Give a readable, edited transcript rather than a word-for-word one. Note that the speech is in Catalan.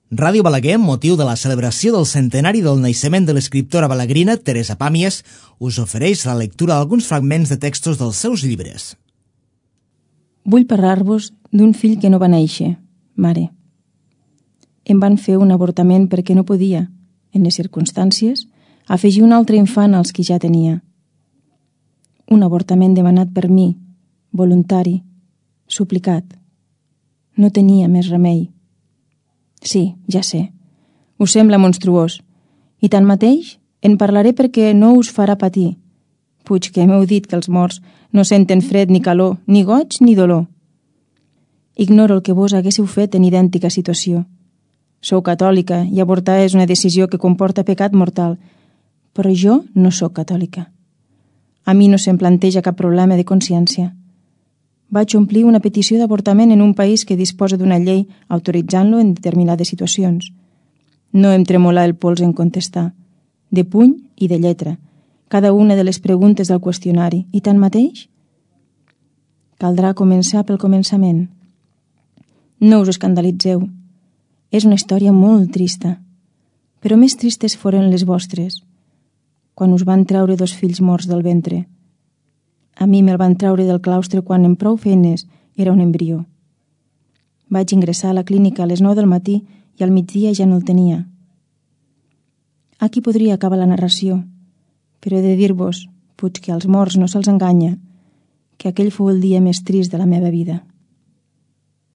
Ràdio Balaguer, amb motiu de la celebració del centenari del naixement de l'escriptora balaguerina Teresa Pàmies, us ofereix la lectura d'alguns fragments de textos dels seus llibres. Vull parlar-vos d'un fill que no va néixer, mare. Em van fer un avortament perquè no podia, en les circumstàncies, afegir un altre infant als que ja tenia. Un avortament demanat per mi, voluntari, suplicat. No tenia més remei. Sí, ja sé. Us sembla monstruós. I tanmateix en parlaré perquè no us farà patir. Puig que m'heu dit que els morts no senten fred ni calor, ni goig ni dolor. Ignoro el que vos haguéssiu fet en idèntica situació. Sou catòlica i avortar és una decisió que comporta pecat mortal, però jo no sóc catòlica. A mi no se'm planteja cap problema de consciència. Vaig omplir una petició d'avortament en un país que disposa d'una llei autoritzant-lo en determinades situacions. No em tremolà el pols en contestar, de puny i de lletra, cada una de les preguntes del qüestionari, i tanmateix caldrà començar pel començament. No us escandalitzeu. És una història molt trista, però més tristes foren les vostres, quan us van treure 2 fills morts del ventre. A mi me'l van treure del claustre quan en prou feines era un embrió. Vaig ingressar a la clínica a les 9 del matí i al migdia ja no el tenia. Aquí podria acabar la narració, però he de dir-vos, puig que als morts no se'ls enganya, que aquell fou el dia més trist de la meva vida.